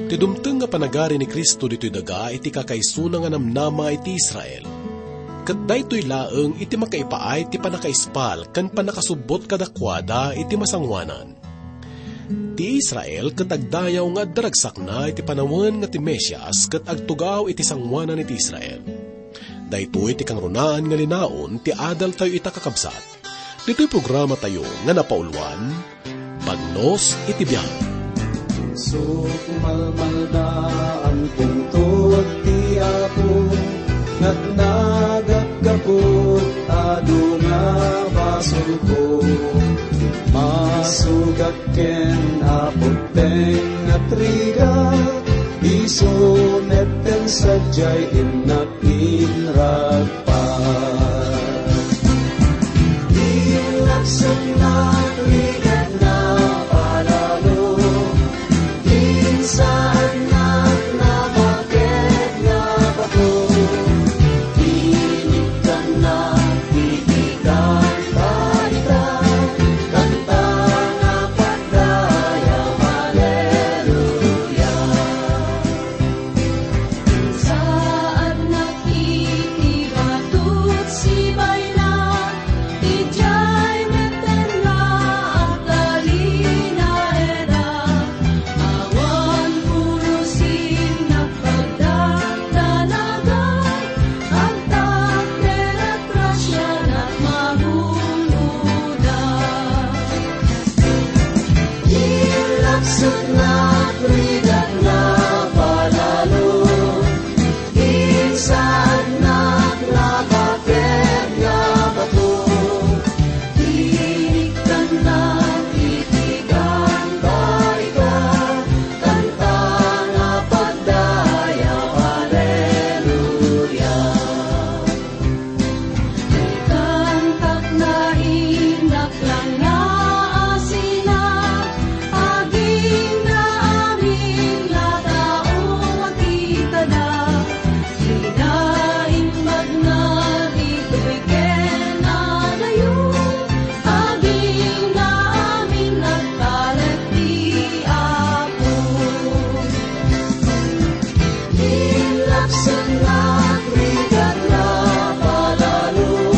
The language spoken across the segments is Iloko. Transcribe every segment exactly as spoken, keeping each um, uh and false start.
Ti dumteng nga panagari ni Cristo ditoy daga iti kakaisuna nga namnama iti Israel. Ket daytoy laeng iti makaipaay ti pannakaispal ken pannakasubbot kadakuada iti masangoanan. Ti Israel ket agdayaw nga adda ragsakna iti panawen nga ti Mesias ket agtugaw iti sangoanan iti Israel. Daytoy ti kangrunaan nga linaon ti adaltayo ita, kakabsat. Ditoy programatayo nga napauluan, Bagnos iti Biag. Sukmalmalda, pungtot ti Apo, natnagak gapu adu nga basolko. Masugak ken Apo ti nagrigat, isu met ti sadiay innak inragpat. Di laksaknak rigat nga palalo, insaannak napaket nga bato. Inikkannak iti kanta ita, kanta nga pagdayaw, haleluya. Insaannak iti bato ti sibayna, idiay metten nga agtalinaedak. Awan pulos innak pagdakdanagan, agtak ket agrasianak magunodak. Di laksaknak rigat nga palalo, insaannak napaket nga bato. Inikkannak iti kanta ita, kanta nga pagdayaw, haleluya. Ikantak na innak lang nga asina, aging nga amin nga tao makitada. Ida imbag na ditoy ken adayo, aging nga amin nagtalek ti Apo. Inlaksannak rigat nga palalo,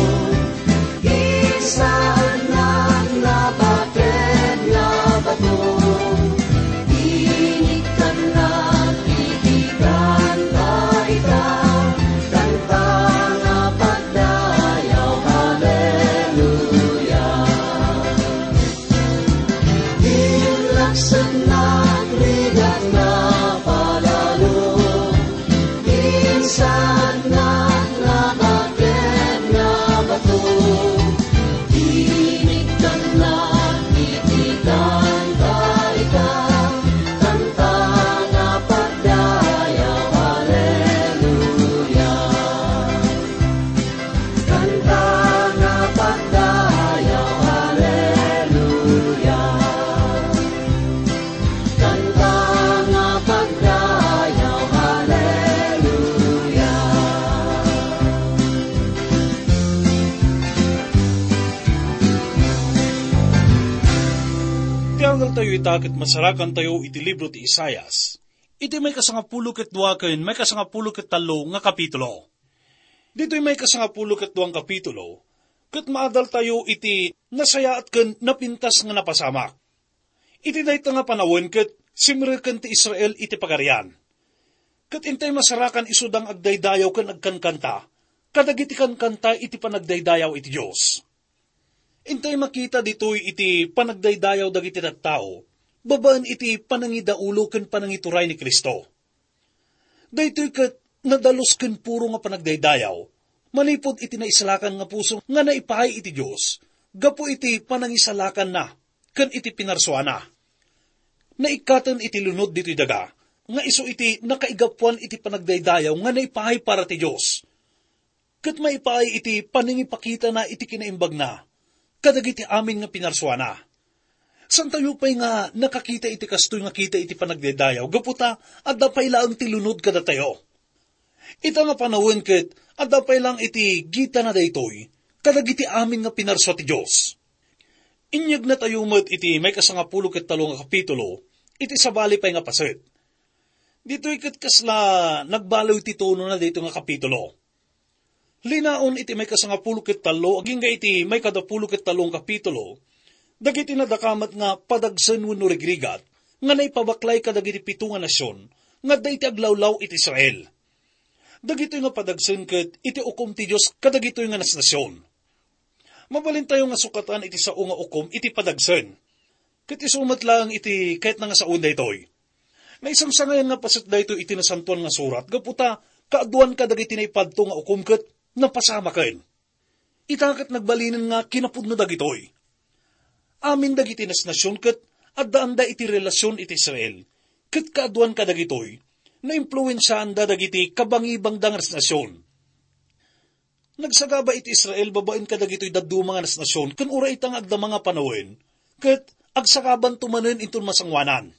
insaannak napaket nga bato. Inikkannak iti kanta ita, kanta nga pagdayaw, haleluya. Inlaksannak rigat nga palalo, insaannak napaket nga bato. Inikkannak iti kanta ita, kanta nga pagdayaw, haleluya. Kanta nga pagdayaw, haleluya. Kanta nga pagdayaw, haleluya. Ti adaltayo ita ket masarakantayo iti libro ti Isaias, iti maikasangapulo ket dua ken maikasangapulo ket tallo nga kapitulo. Ditoy maikasangapulo ket dua nga kapitulo, ket maadaltayo iti nasayaat ken napintas nga napasamak. Iti dayta nga panawen ket simreken ti Israel iti Pagarian. Ket intay masarakan isuda nga agdaydayaw ken agkankanta kadagiti kankanta iti panagdaydayaw iti Dios. Intay makita ditoy iti panagdaydayaw dagiti tattao babaen iti panangidaulo ken panangituray ni Cristo. Daytoy ket nadalus ken puro nga panagdaydayaw, manipud iti naisalakan nga puso nga naipaay iti Dios gapu iti panangisalakanna ken iti pinarsuana. Naikkaten iti lunod ditoy daga nga isu iti nakaigapuan iti panagdaydayaw nga naipaay para ti Dios, ket maipaay iti panangipakitana iti kinaimbagna kadagiti amin nga pinarsuana. Santayo pay nga nakakita iti kastoy nga kita iti panagdaydayaw, gapu ta adda pay laeng ti lunod kadatayo. Ita nga panawen ket adda pay laeng iti gitana daytoy kadagiti amin nga pinarsua ti Dios. Inyegnatayo met iti maikasangapulo ket tallo nga kapitulo, iti sabali pay nga paset. Ditoy ket kasla nagbaliw ti tonona daytoy nga kapitulo. Linaon iti maikasangapulo ket tallo agingga iti maikadapulo ket tallo nga kapitulo, dagiti nadakamat nga padagsen wenno rigrigat nga naipabaklay kadagiti pito nga nasion nga adda iti aglawlaw iti Israel. Dagitoy nga padagsen ket iti ukom ti Dios kadagitoy nga nasnasion. Mabalintayo nga sukatan iti sao nga ukom iti padagsen. Ket isu met laeng iti kayatna nga sawen daytoy. Naisangsangayan nga paset daytoy iti Nasantoan nga Surat gapu ta kaaduan kadagiti naipadto nga ukom ket napasamaken. Ita ket nagbalinen nga kinapudno dagitoy. Amin dagiti nasnasion ket addaanda iti relasion iti Israel, ket kaaduan kadagitoy, naimpluensiaanda dagiti kabangibangda nga nasnasion. Nagsagaba iti Israel babaen kadagitoy dadduma nga nasnasion ken uray ita nga agdama nga panawen, ket agsagabanto manen inton masangoanan.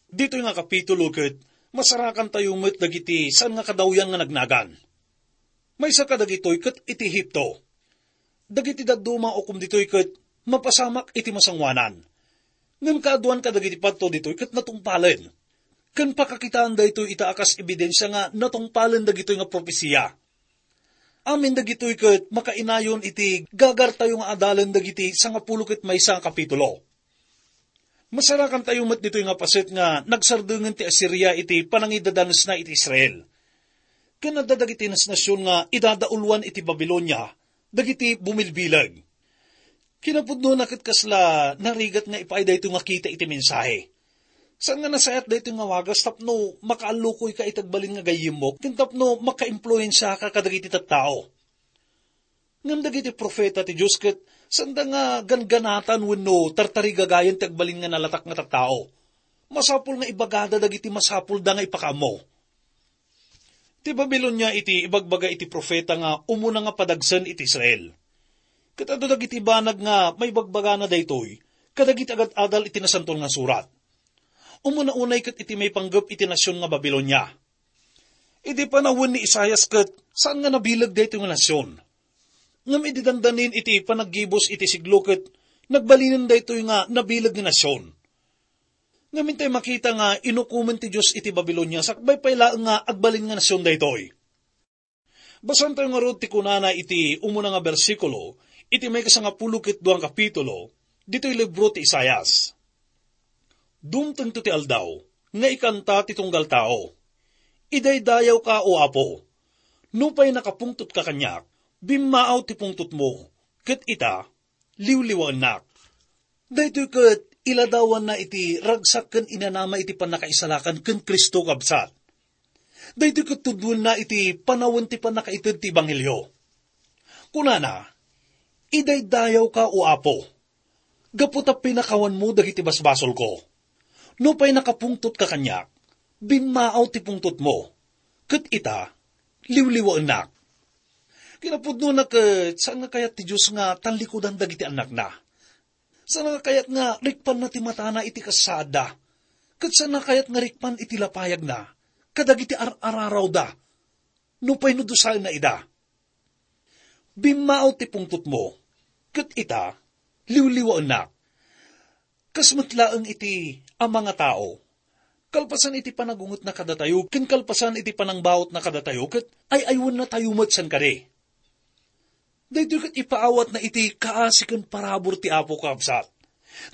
Ditoy nga kapitulo ket masarakantayo met dagiti saan nga kadawyan nga nagnagan. Maysa kadagitoy ket iti Egipto. Dagiti dadduma nga ukom ditoy ket mapasamak iti masangoanan. Ngem kaaduan kadagiti padto ditoy ket natungpalen. Ken pakakitaan daytoy ita a kas ebidensia nga natungpalen dagitoy nga propesia. Amin dagitoy ket makainayon iti gagartayo nga adalen dagiti sangapulo ket maysa nga kapitulo. Masarakantayo met ditoy nga paset nga nagsardengen ti Asiria iti panangidadanesna iti Israel. Ken adda dagiti nasnasion nga idadauluan iti Babilonia dagiti bumilbileg. Kinapudnona ket kasla narigat nga ipaay daytoy nga kita iti mensahe. Saan nga nasayaat daytoy nga wagas tapno makaallukoyka iti agbalin nga gayyemmo ken tapno makaimpluensiaka kadagiti tattao. Ngem dagiti profeta ti Dios ket saanda nga ganganatan wenno tartarigagayan ti agbalin nga nalatak nga tattao. Masapul nga ibagada dagiti masapulda nga ipakaammo. Ti Babilonia iti ibagbaga iti profeta nga umuna nga padagsen iti Israel. Ket adda dagiti banag nga maibagbagana daytoy kadagiti agad-adal iti Nasantoan nga Surat. Umuna unay ket iti maipanggep iti nasion nga Babilonia. Idi panawen ni Isaias ket saan nga nabileg daytoy nga nasion. Ngem idi dandanin iti panaggibus iti siglo ket nagbalinen daytoy nga nabileg nga nasion. Ngem intay makita nga inukomen ti Dios iti Babilonia sakbay pay laeng nga agbalin nga nasion daytoy. Basaentayo ngarud ti kunana iti umuna nga bersikulo iti maikasangapulo ket dua nga kapitulo ditoy libro ti Isaias. Dumtengto ti aldaw nga ikanta ti tunggal tao. Idaydayawka, O Apo. Nupay nakapungtotka kaniak, bimmaaw ti pungtotmo, ket ita, liwliwaennak. Daytoy ket iladawanna iti ragsak ken inanama iti pannakaisalakan ken Cristo, kabsat. Daytoy ket tuddoenna iti panawen ti pannakaited ti ebanghelio. Kunana, "Idaydayawka, O Apo, gapu ta pinakawanmo dagiti basbasolko. Nupay nakapungtotka kaniak, bimmaaw ti pungtotmo, ket ita, liwliwaennak." Kinapudnona ket saan nga kayat ti Dios nga tallikudan dagiti annakna. Saan nga kayat nga rikpanna ti matana iti kasasaadda, ket saan nga kayat nga rikpan iti lapayagna kadagiti ar-ararawda, nupay no dusaenna ida. "Bimmaaw ti pungtotmo, ket ita, liwliwaennak." Kas met laeng iti ama nga tao, kalpasan iti panagungetna kadatayo ken kalpasan iti panangbautna kadatayo, ket ay-aywennatayo met saan kadi. Daytoy ket ipaawatna iti kaasi ken parabur ti Apo, kabsat.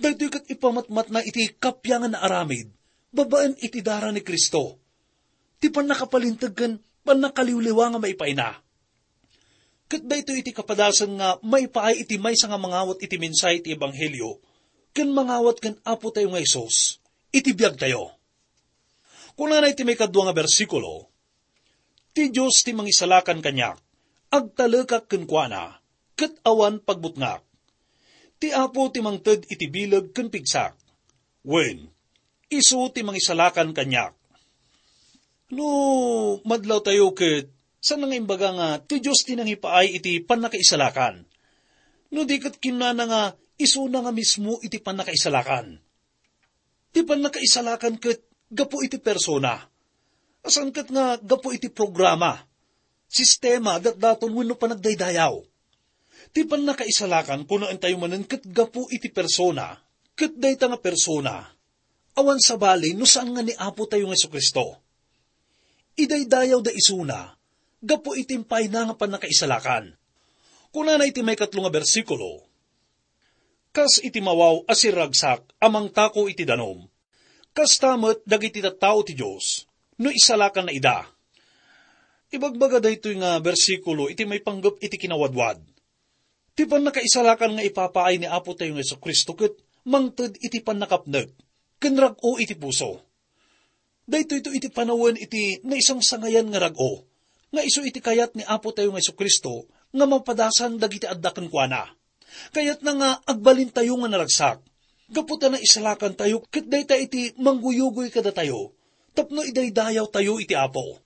Daytoy ket ipamatmatna iti kapiangan nga aramid babaen iti dara ni Cristo, ti pannakapalinteg ken pannakaliwliwa nga maipaayna. Ket daytoy iti kapadasan nga maipaay iti maysa nga mangawat iti mensahe ti ebanghelio ken mangawat ken Apotayo nga Jesus iti biagtayo. Kunana iti maikadua nga bersikulo, "Ti Dios ti mangisalakan kaniak, agtalekak kenkuana, ket awan pagbutngak. Ti Apo ti mangted iti bileg ken pigsak. Wen, isu ti mangisalakan kaniak." No madlawtayo ket, saan nga imbaga nga ti Dios ti nangipaay iti pannakaisalakan? No di ket kinunana nga isuna nga mismo iti pannakaisalakan. Ti pannakaisalakan ket gapu iti persona. Saan ket nga gapu iti programa, sistema, datdaton wenno panagdaydayaw. Ti pannakaisalakan, kunaentayo manen, ket gapu iti persona, ket dayta nga persona, Awan sabali no saan nga ni Apotayo nga Jesu-Cristo. Idaydayawda isuna gapu iti impayna nga pannakaisalakan. Kunana iti maikatlo nga bersikulo, "Kas iti mawaw a sirragsak a mangtako iti danum, kasta met dagiti tattao ti Dios no isalakanna ida." Ibagbaga daytoy nga bersikulo iti maipanggep iti kinawadwad. Ti pannakaisalakan nga ipapaay ni Apotayo nga Jesu-Cristo ket mangted iti pannakapnek ken rag-o iti puso. Daytoyto iti panawen iti naisangsangayan nga rag-o nga isu iti kayat ni Apotayo nga Jesu-Cristo nga mapadasan dagiti adda kenkuana. Kayatna nga agbalintayo nga naragsak gapu ta naisalakantayo ket dayta iti mangguyugoy kadatayo tapno idaydayawtayo iti Apo.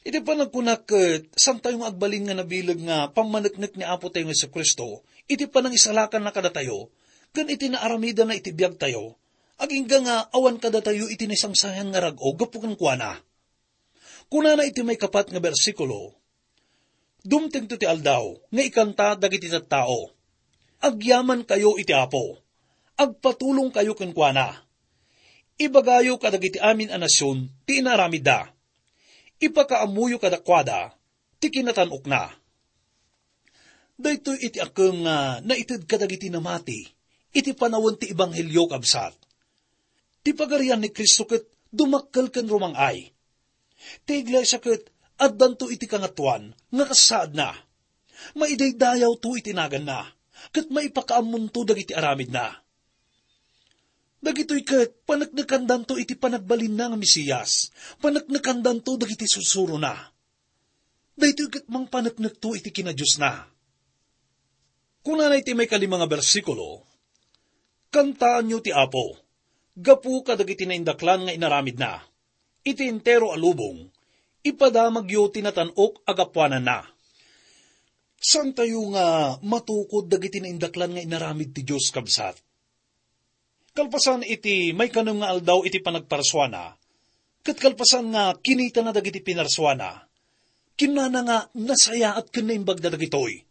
Iti panagkunak ket, saantayo nga agbalin nga nabileg nga pammaneknek ni Apotayo nga Jesu-Cristo iti panangisalakanna kadatayo ken iti naaramidanna iti biagtayo, agingga nga awan kadatayo iti naisangsangayan nga rag-o gapu kenkuana. Kunana iti maikapat nga bersikulo, "Dumtengto ti aldaw nga ikanta dagiti tattao, 'Agyamankayo iti Apo, agpatulongkayo kenkuana. Ibagayo kadagiti amin a nasion ti inaramidda. Ipakaammoyo kadakuada ti kinatan-okna.'" Daytoy iti akem nga naited kadagiti namati iti panawen ti ebanghelio, kabsat. Ti Pagarian ni Cristo ket dumakkel ken rumang-ay. Ti iglesia ket addanto iti kangatoan nga kasaadna. Maidaydayawto iti naganna, ket maipakaammonto dagiti aramidna. Dagitoy ket paneknekandanto iti panagbalinna nga Mesias, paneknekandanto dagiti sursurona. Daytoy ket mangpaneknekto iti kinadiosna. Kunana iti maikalima nga bersikulo, "Kantaanyo ti Apo, gapu kadagiti naindaklan nga inaramidna. Iti entero a lubong, ipadamagyo ti natan-ok a gapuananna." Saantayo nga matukod dagiti naindaklan nga inaramid ti Dios, kabsat. Kalpasan iti maikanem nga aldaw iti panagparsuana, ket kalpasan nga kinitana dagiti pinarsuana, kinunana nga nasayaat ken naimbagda dagitoy.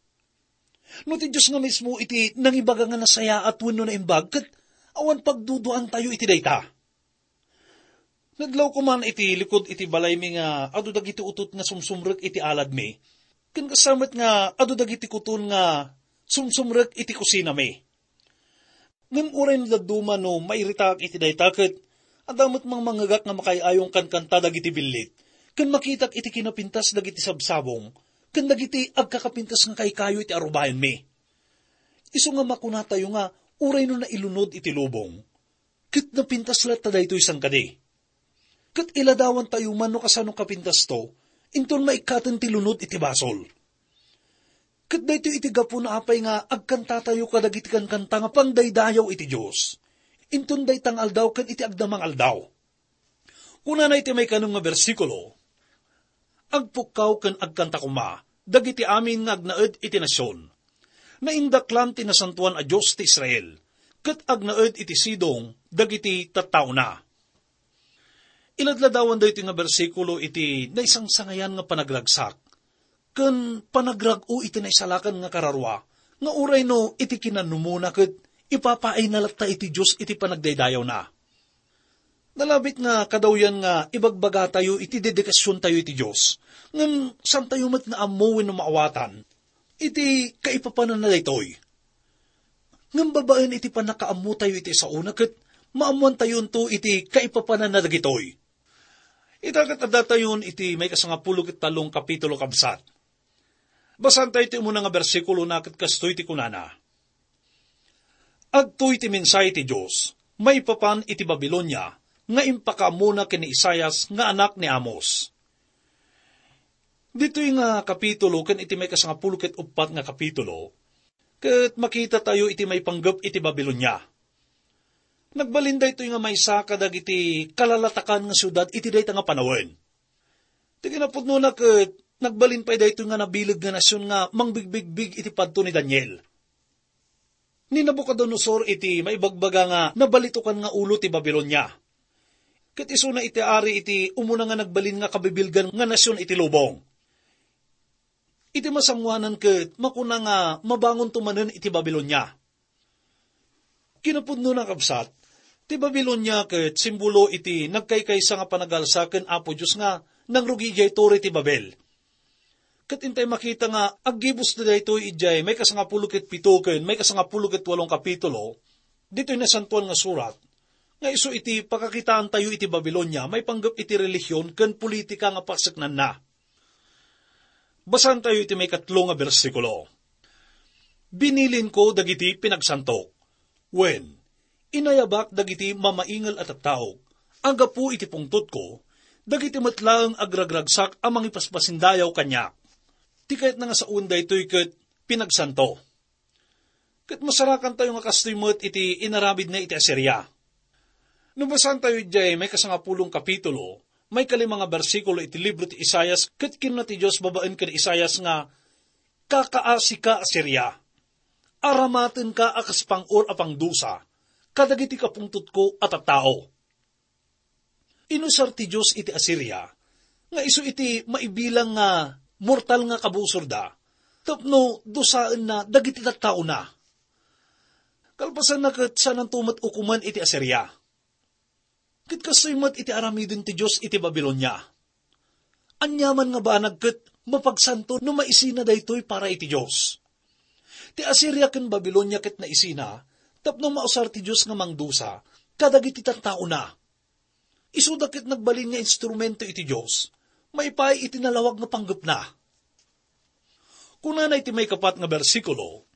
No ti Dios nga mismo iti nangibaga nga nasayaat wenno naimbag, ket awan pagduduantayo iti dayta. Nadlawko man iti likud iti balaymi nga adu dagiti utot nga sumsumrek iti aladmi, ken kasta met nga adu dagiti kuton nga sumsumrek iti kusinami. Ngem uray no dadduma no mairitaak iti dayta ket adda met mangmangngegak nga makaay-ayong kankanta dagiti billit, ken makitak iti kinapintas dagiti sabsabong ken dagiti agkakapintas nga kaykayo iti arubayanmi. Isu nga makunatayo nga uray no nailunod iti lubong, ket napintas latta daytoy sangkadi. Ket iladawantayo man no kasano kapintasto, inton maikkaten ti lunod iti basol. Ket daytoy iti gapuna apay nga agkantatayo kadagiti kankanta nga pangdaydayaw iti Dios, inton dayta nga aldaw ken iti agdama nga aldaw. Kunana iti maikanem nga bersikulo, "Agpukkaw ken agkanta koma dagiti amin nga agnaed iti nasion. Naindaklan ti Nasantoan a Dios ti Israel, ket agnaed iti sidong dagiti tattaona." Iladladawan daytoy nga bersikulo iti naisangsangayan nga panagragsak ken panagrag-o iti naisalakan nga kararua nga uray no iti kinanumona ket ipapaayna latta iti Dios iti panagdaydayawna. Nalabit nga kadawyan nga ibagbagatayo iti dedikasiontayo iti Dios, ngem saantayo met nga ammo wenno maawatan iti kaipapananna daytoy. Ngem babaen iti pannakaammotayo iti saona ket maammoantayonto iti kaipapananna dagitoy. Ita ket addatayon iti maikasangapulo ket tallong kapitulo, kabsat. Basaantayo ti umuna nga bersikulona ket kastoy ti kunana, "Adtoy ti mensahe ti Dios maipapan iti Babilonia nga impakaammona ken ni Isaias nga anak ni Amos." Ditoy nga kapitulo ken iti maikasangapulo ket uppat nga kapitulo, ket makitatayo iti maipanggep iti Babilonia. Nagbalin daytoy nga maysa kadagiti kalalatakan nga siudad iti dayta nga panawen. Ti kinapudnona ket nagbalin pay daytoy nga nabileg nga nasion nga mangbigbigbig iti padto ni Daniel. Ni Nabucodonosor iti maibagbaga nga nabalitokan nga ulo ti Babilonia. Ket isuna iti ari iti umuna nga nagbalin nga kabibilgan nga nasion iti lubong. Iti masangoanan ket makuna nga mabangonto manen iti Babilonia. Kinapudnona, kabsat, Ti Babilonia ket simbolo iti nagkaykaysa nga panagalsa ken Apo Dios nga nangrugi idiay Torre ti Babel. Ket intay makita nga aggibusda daytoy idiay maikasangapulo ket pito ken maikasangapulo ket walong kapitulo ditoy Nasantoan nga Surat, nga isu iti pakakitaantayo iti Babilonia maipanggep iti relihion ken politika nga paseknanna. Basaentayo iti maikatlo nga bersikulo. "Binilinko dagiti pinagsantok. Wen, inayabak dagiti mamaingel a tattao. Anggapo iti pungtotko, dagiti met laeng agragragsak a mangipaspasindayaw kaniak." Ti kayatna nga sawen daytoy ket pinagsanto. Ket masarakantayo nga kastoy met iti inaramidna iti Asiria. No basaentayo idiay maikasangapulong kapitulo, maikalima nga bersikulo iti libro ti Isaias, ket kinuna ti Dios babaen ken Isaias nga, "Kakaasika, Asiria. Aramatenka a kas pang-or a pangdusa kadagiti kapungtotko a tattao." Inusar ti Dios iti Asiria nga isu iti maibilang nga mortal nga kabusorda tapno dusaenna dagiti tattaona. Kalpasanna ket saananto met ukomen iti Asiria. Ket kastoy met iti aramiden ti Dios iti Babilonia. Aniaman nga banag ket mapagsanto no maisina daytoy para iti Dios. Ti Asiria ken Babilonia ket naisina tapno mausar ti Dios nga mangdusa kadagiti tattaona. Isuda ket nagbalin nga instrumento iti Dios, maipaay iti nalawag nga panggepna. Kunana iti maikapat nga bersikulo,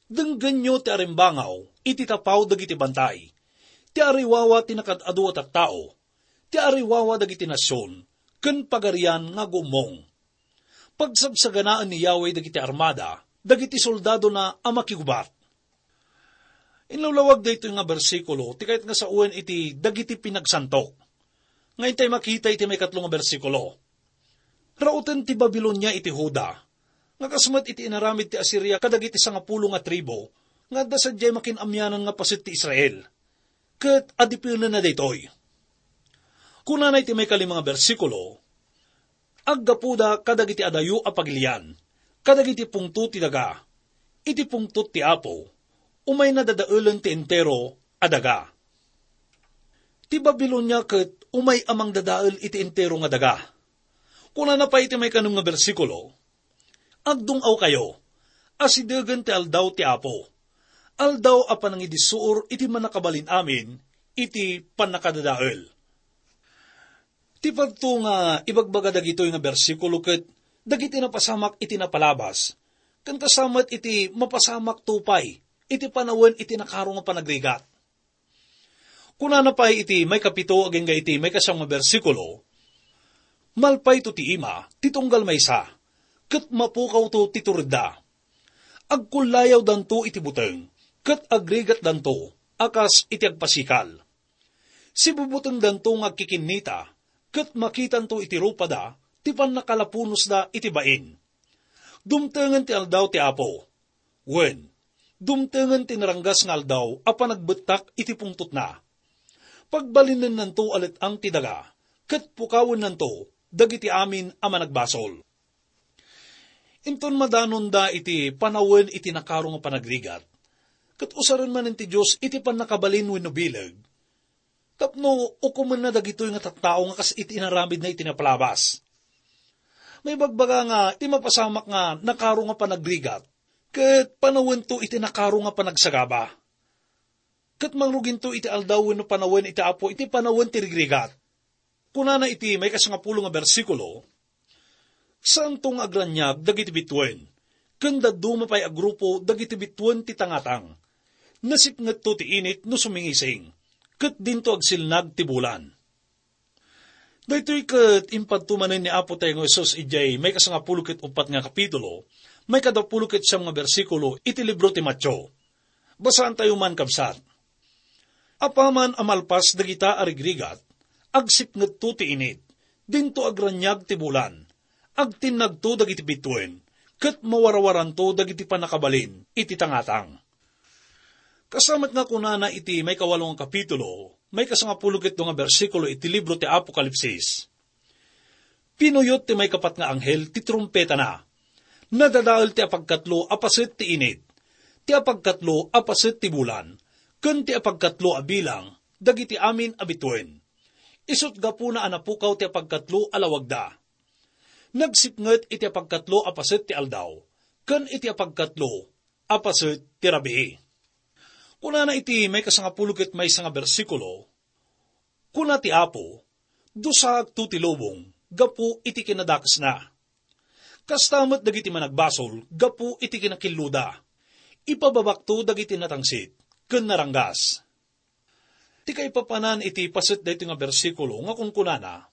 "Denggenyo ti arimbangaw iti tapaw dagiti bantay, ti ariwawa ti nakaad-adu a tattao, ti ariwawa dagiti nasion, ken pagarian nga agummong. Pagsagsaganaen ni Yahweh dagiti armada, dagiti soldadona a makigubat." Inlawlawag daytoy nga bersikulo ti kayat nga sawen iti dagiti pinagsantok. Nga intay makita iti maikatlo nga bersikulo. Rauten ti Babilonia iti Juda, nga kas met iti inaramid ti Asiria kadagiti sangapulo nga tribu, nga adda sadiay makin-amianan nga paset ti Israel. Ket adipenenna daytoy. Kunana iti maikalima nga bersikulo, "Aggapuda kadagiti adayo a pagilian, kadagiti pungto ti daga, iti pungtot ti Apo, umayna dadaelen ti entero a daga." Ti Babilonia ket umay a mangdadael iti entero nga daga. Kunana pay iti maikanem nga bersikulo, "Agdung-awkayo, asidegen ti aldaw ti Apo, aldaw a panangidissuor iti Mannakabalin-amin iti pannakadadael." Ti padto nga ibagbaga dagitoy nga bersikulo ket dagiti napasamak iti napalabas, ken kasta met iti mapasamakto pay iti panawen iti nakaro nga panagrigat. Kunana pay iti maikapito agingga iti maikasam nga bersikulo, "Malpayto ti ima ti tunggal maysa, ket mapukawto ti turedda. Agkullayawdanto iti buteng, ket agrigatdanto a kas iti agpasikal. Sibubutengdanto nga agkikinnita, ket makitanto iti rupada ti pannakalapunosda iti bain. Dumtengen ti aldaw ti Apo. Wen, dumtengen ti naranggas nga aldaw a panagbettak iti pungtotna. Pagbalinennanto a let-ang ti daga, ket pukawennanto dagiti amin a managbasol." Inton madanonda iti panawen iti nakaro nga panagrigat, ket usaren manen ti Dios iti pannakabalin wenno bileg, tapno ukomenna dagitoy nga tattao nga kas iti inaramidna iti napalabas. Maibagbaga nga ti mapasamak nga nakaro nga panagrigat, ket panawento iti nakaro nga panagsagaba. Ket mangruginto iti aldaw wenno panawen iti Apo iti panawen ti rigrigat. Kunana iti maikasangapulo nga bersikulo, "Saanto nga agraniag dagiti bituen, ken dadduma pay a grupo dagiti bituen ti tangatang. Nasipngetto ti init no sumingising, ket dinto agsilnag ti bulan." Daytoy ket impadto manen ni Apo tayo nga Jesus idiay maikasangapulo ket uppat nga kapitulo, maikadapulo ket siam nga bersikulo iti libro ti Mateo. Basaantayo man, kabsat. "Apaman a malpas dagita a rigrigat, agsipngetto ti init, dinto agraniag ti bulan, agtinnagto dagiti bituen, ket mawarawaranto dagiti pannakabalin iti tangatang." Kasta met nga kunana iti maikawalo nga kapitulo, maikasangapulo ket dua nga bersikulo iti libro ti Apokalipsis, "Pinuyot ti maikapat nga anghel ti trumpetana. Nadadael ti apagkatlo a paset ti init, ti apagkatlo a paset ti bulan, ken ti apagkatlo a bilang dagiti amin a bituen. Isut' gapuna a napukaw ti apagkatlo a lawagda. Nagsipnget iti apagkatlo a paset ti aldaw, ken iti apagkatlo a paset ti rabii. Kunana iti maikasangapulo ket maysa nga bersikulo, "Kuna ti Apo, 'Dusaakto ti lubong gapu iti kinadakesna. Kasta met dagiti managbasol gapu iti kinakilluda. Ipababakto dagiti natangsit ken naranggas.'" Ti kaipapanan iti paset daytoy nga bersikulo nga kunkunana,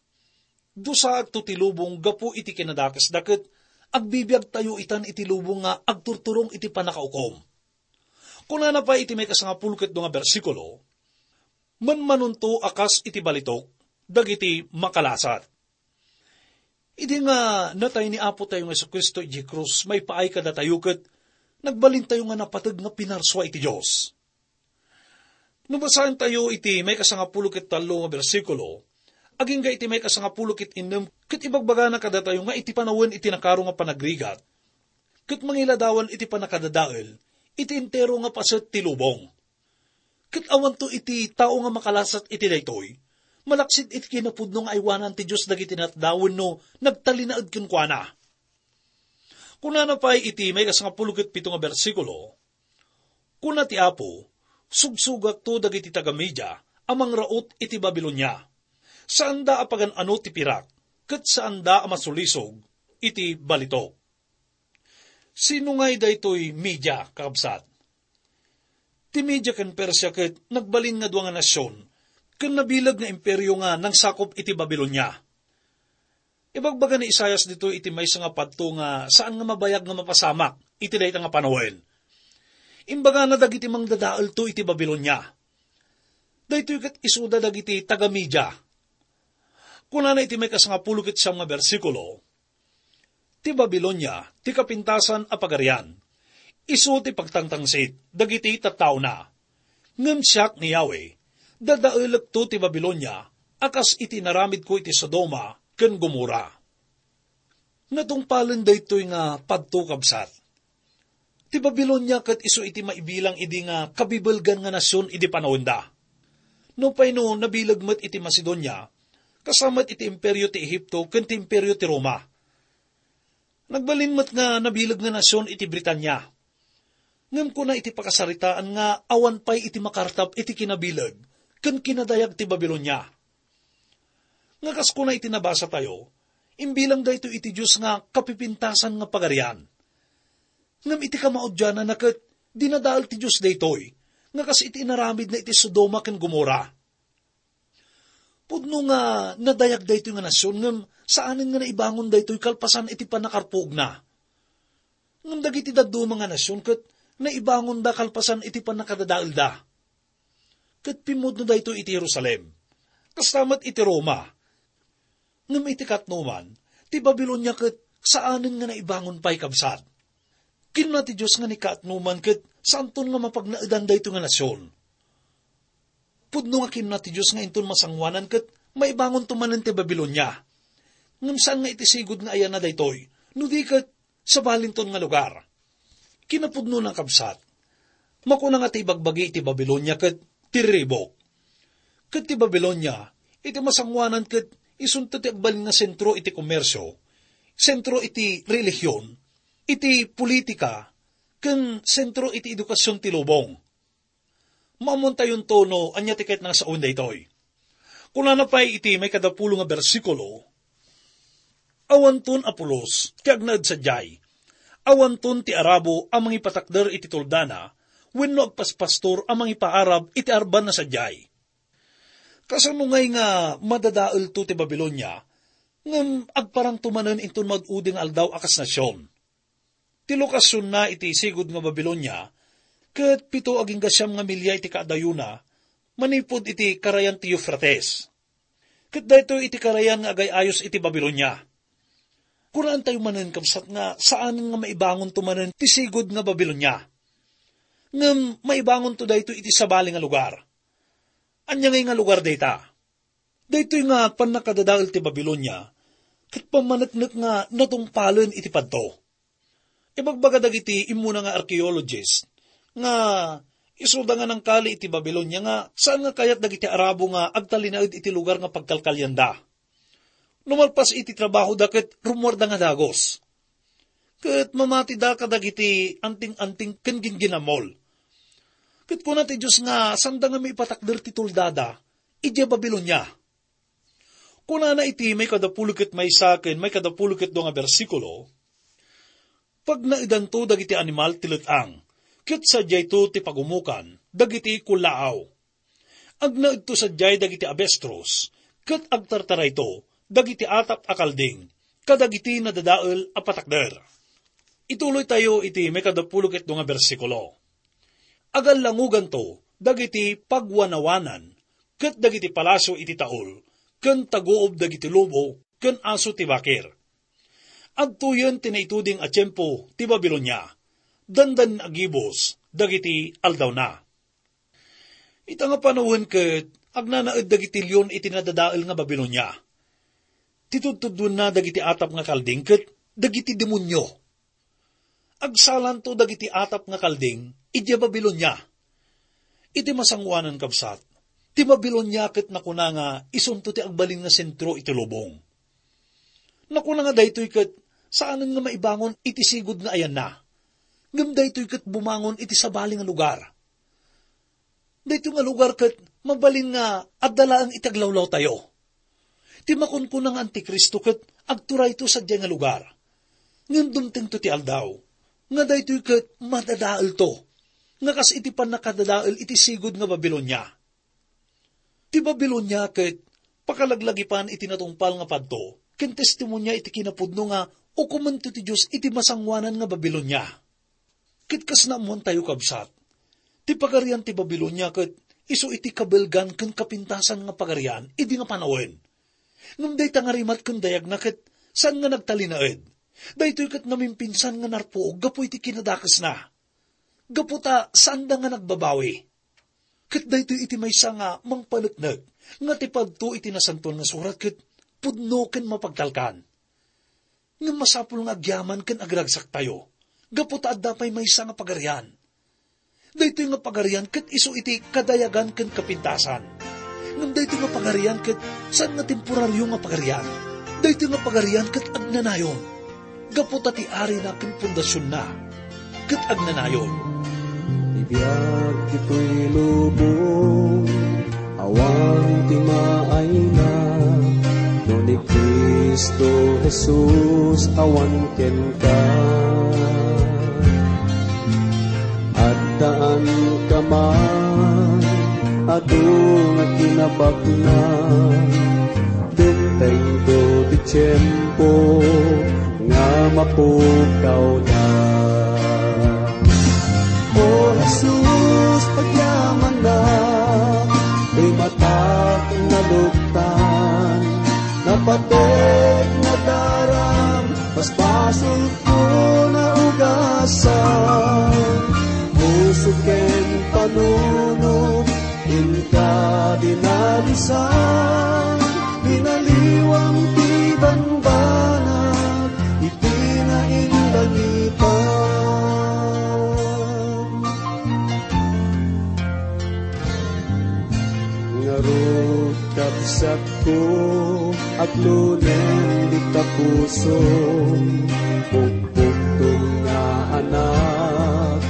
"Dusaakto ti lubong gapu iti kinadakesda," ket agbibiagtayo itan iti lubong nga agturturong iti pannakaukom. Kunana pay iti maikasangapulo ket dua nga bersikulo, "Manmanonto a kas iti balitok dagiti makalasat." Idi nga natay ni Apo tayo nga Jesu-Cristo idiay krus, maipaay kadatayo ket nagbalintayo nga napateg nga pinarsua iti Dios. No basaentayo iti maikasangapulo ket tallo nga bersikulo, agingga iti maikasangapulo ket innem, ket ibagbagana kadatayo nga iti panawen iti nakaro nga panagrigat, ket mangiladawan iti pannakadadael iti entero nga paset ti lubong. Ket awanto iti tao nga makalasat iti daytoy, malaksid iti kinapudno nga aywanan ti Dios dagiti natdaw wenno nagtalinaed kenkuana. Kunana pay iti maikasangapulo ket pito nga bersikulo, "Kuna ti Apo, 'Sugsugakto dagiti taga-Media a mangraut iti Babilonia. Saanda a pagan-ano ti pirak, ket saanda a masulisog iti balitok.'" Sino ngay daytoy Media, kakabsat? Ti Media ken Persia ket nagbalin nga dua nga nasion ken nabileg nga imperio nga nangsakop iti Babilonia. Ibagbaga ni Isaias ditoy iti maysa nga padto nga saan nga mabayag nga mapasamak iti dayta nga panawen. Imbagana dagiti mangdadaelto iti Babilonia. Daytoy ket isuda dagiti taga-Media. Kunana iti maikasangapulo ket siam nga bersikulo, "Ti Babilonia ti kapintasan a pagarian. Isu ti pagtangtangsit dagiti tattaona. Ngem siak ni Yahweh, dadaelekto ti Babilonia a kas iti inaramidko iti Sodoma ken Gomorra." Natungpalen daytoy nga padto, kabsat. Ti Babilonia ket isu iti maibilang idi nga kabibbelgan nga nasion idi panawenda. Nupay no nabileg met iti Macedonia, kasta met iti imperio ti Ehipto ken ti imperio ti Roma. Nagbalin met nga nabileg nga nasion iti Britania. Ngem kuna iti pakasaritaan nga awan pay iti makartap iti kinabileg ken kinadayag ti Babilonia. Nga kas kuna iti nabasatayo, imbilang daytoy iti Dios nga kapipintasan nga pagarian. Ngem iti kamaudiananna ket dinadael ti Dios daytoy, nga kas iti inaramidna iti Sodoma ken Gomorra. Pudno nga nadayag daytoy nga nasion, ngem saanen nga naibangon daytoy kalpasan iti pannakarpuogna. Ngem dagiti dadduma nga nasion ket naibangonda kalpasan iti pannakadadaelda. Ket pimmudno daytoy iti Jerusalem. Kasta met iti Roma. Ngem iti katnoman, ti Babilonia ket saanen nga naibangon pay, kabsat. Kinuna ti Dios nga ni katnoman ket saanton nga mapagnaedan daytoy nga nasion. Pudno nga kinuna ti Dios nga inton masangoanan ket maibangonto manen ti Babilonia. Ngem saan nga iti sigud nga ayana daytoy, no di ket sabalinton nga lugar. Kinapudnona, kabsat, makuna nga ti ibagbagi iti Babilonia ket ti riribuk. Ket ti Babilonia, iti masangoanan ket isunto ti agbalin nga sentro iti komersio, sentro iti relihion, iti politika, ken sentro iti edukasion ti lubong. Maammontayonto no ania ti ket nga sawen daytoy. Kunana pay iti maikadapulo nga bersikulo, "Awanton a pulos ti agnaed sadiay. Awanton ti arabo a mangipatakder iti tuldana, wenno agpaspastor a mangipaarab iti arbanna sadiay." Kasano ngay nga madadaelto ti Babilonia, ngem agparangto manen inton maud-udi nga aldaw a kas nasion? Ti lokasionna iti sigud nga Babilonia ket pito agingga siam nga milia iti kaadayona manipud iti karayan ti Eufrates. Ket daytoy iti karayan nga agay-ayos iti Babilonia. Kunaentayo manen, kabsat, nga saanen nga maibangonto manen ti sigud nga Babilonia. Ngem maibangonto daytoy iti sabali nga lugar. Ania ngay nga lugar dayta? Daytoy nga pannakadadael ti Babilonia ket pammaneknek nga natungpalen iti padto. Ibagbaga dagiti immuna nga archaeologist nga Isuda nga nangkali iti Babilonia nga saan nga kayat dagiti Arabo nga agtalinaed iti lugar nga pagkalkalianda. No malpas iti trabahoda ket rummuarda nga dagus. Ket mamatida kadagiti anting-anting ken gingginamol. Ket kuna ti Dios nga sanda nga maipatakder ti tuldada idiay Babilonia. Kunana iti maikadapulo ket maysa ken maikadapulo ket dua nga bersikulo, "Pagnaedanto dagiti animal ti let-ang, ket sadiayto ti pagumukan dagiti kullaaw. Agnaedto sadiay dagiti abestros, ket agtartarayto dagiti atap a kalding kadagiti nadadael a patakder." Ituloytayo iti maikadapulo ket dua nga bersikulo. "Agallangoganto dagiti pagwanawanan ket dagiti palasio iti taul, ken taguob dagiti lobo ken aso ti bakir. Adtoyen ti naituding a tiempo ti Babilonia, dandan agibus dagiti aldawna." Ita nga panawen ket agnanaed dagiti leon iti nadadael nga Babilonia. Ti tudtuduenna dagiti atap nga kalding ket dagiti demonio. Agsalanto dagiti atap nga kalding idiay Babilonia. Iti masangoanan, kabsat, ti Babilonia ket nakuna nga isunto ti agbalin nga sentro iti lubong. Nakuna nga daytoy ket saanen nga maibangon iti sigud nga ayanna, ngem daytoy ket bumangon iti sabali nga lugar. Daytoy nga lugar ket mabalin nga adda laeng iti aglawlawtayo. Ti makunkuna nga Antikristo ket agturayto sadiay nga lugar. Ngem dumtengto ti aldaw nga daytoy ket madadaelto, nga kas iti pannakadadael iti sigud nga Babilonia. Ti Babilonia ket pakalaglagipan iti natungpal nga padto ken testimonia iti kinapudno nga ukomento ti Dios iti masangoanan nga Babilonia. Ket kas naammoantayo, kabsat, ti pagarian ti Babilonia ket isu iti kabaelgan ken kapintasan nga pagarian idi nga panawen. Ngem dayta nga rimat ken dayagna ket saan nga nagtalinaed. Daytoy ket namimpinsan nga narpuog gapu iti kinadakesna, gapu ta saanda nga nagbabawi. Ket daytoy iti maysa nga mangpaneknek nga ti padto iti Nasantoan nga Surat ket pudno ken mapagtalkan. Ngem masapul nga agyaman ken agragsaktayo, gapu ta adda pay maysa nga pagarian. Daytoy nga pagarian ket isu iti kadayagan ken kapintasan. Ngem daytoy nga pagarian ket saan nga temporario nga pagarian. Daytoy nga pagarian ket agnanayon, gapu ta ti arina ken pundasionna ket agnanayon. Ti biag ditoy lubong, awan ti maayna, no ni Cristo Jesus awan kenka. Addaan ka man, adu nga kinabakna, dumtengto ti tiempo nga mapukawda. O Jesus, agyamanak, ti matak naluktan, napatek nadaram, basbasolko naugasan, puso ken panunot, inka dinalusan, binaliwam ti bambanag, iti nainlangitan. Ngarud, kabsatko, aglunem dita puso, pukpukto nga anak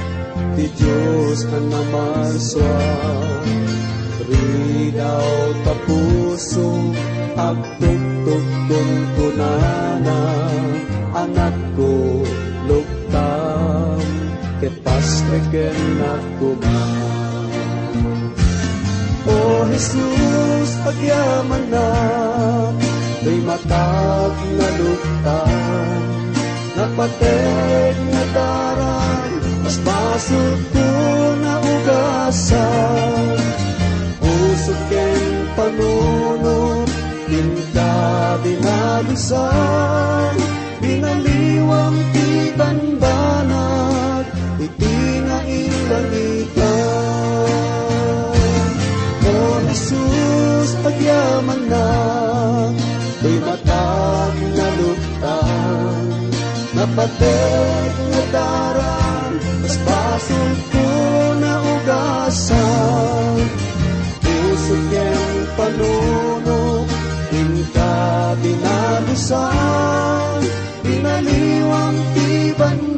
ti Dios a namarsua. Ridaw ta puso, agtuktok kunkunana, anakko, luktam, ket pasrekennak koma. O Jesus, agyamanak, ti matak naluktan, napatek nadaram, basbasolko naugasan, puso ken panunot, inka dinalusan, binaliwam ti bambanag, iti nainlangitan. O Jesus, agyamanak, ti matak naluktan, napatek nadaram, basbasolko nga Naliwang ti banwa.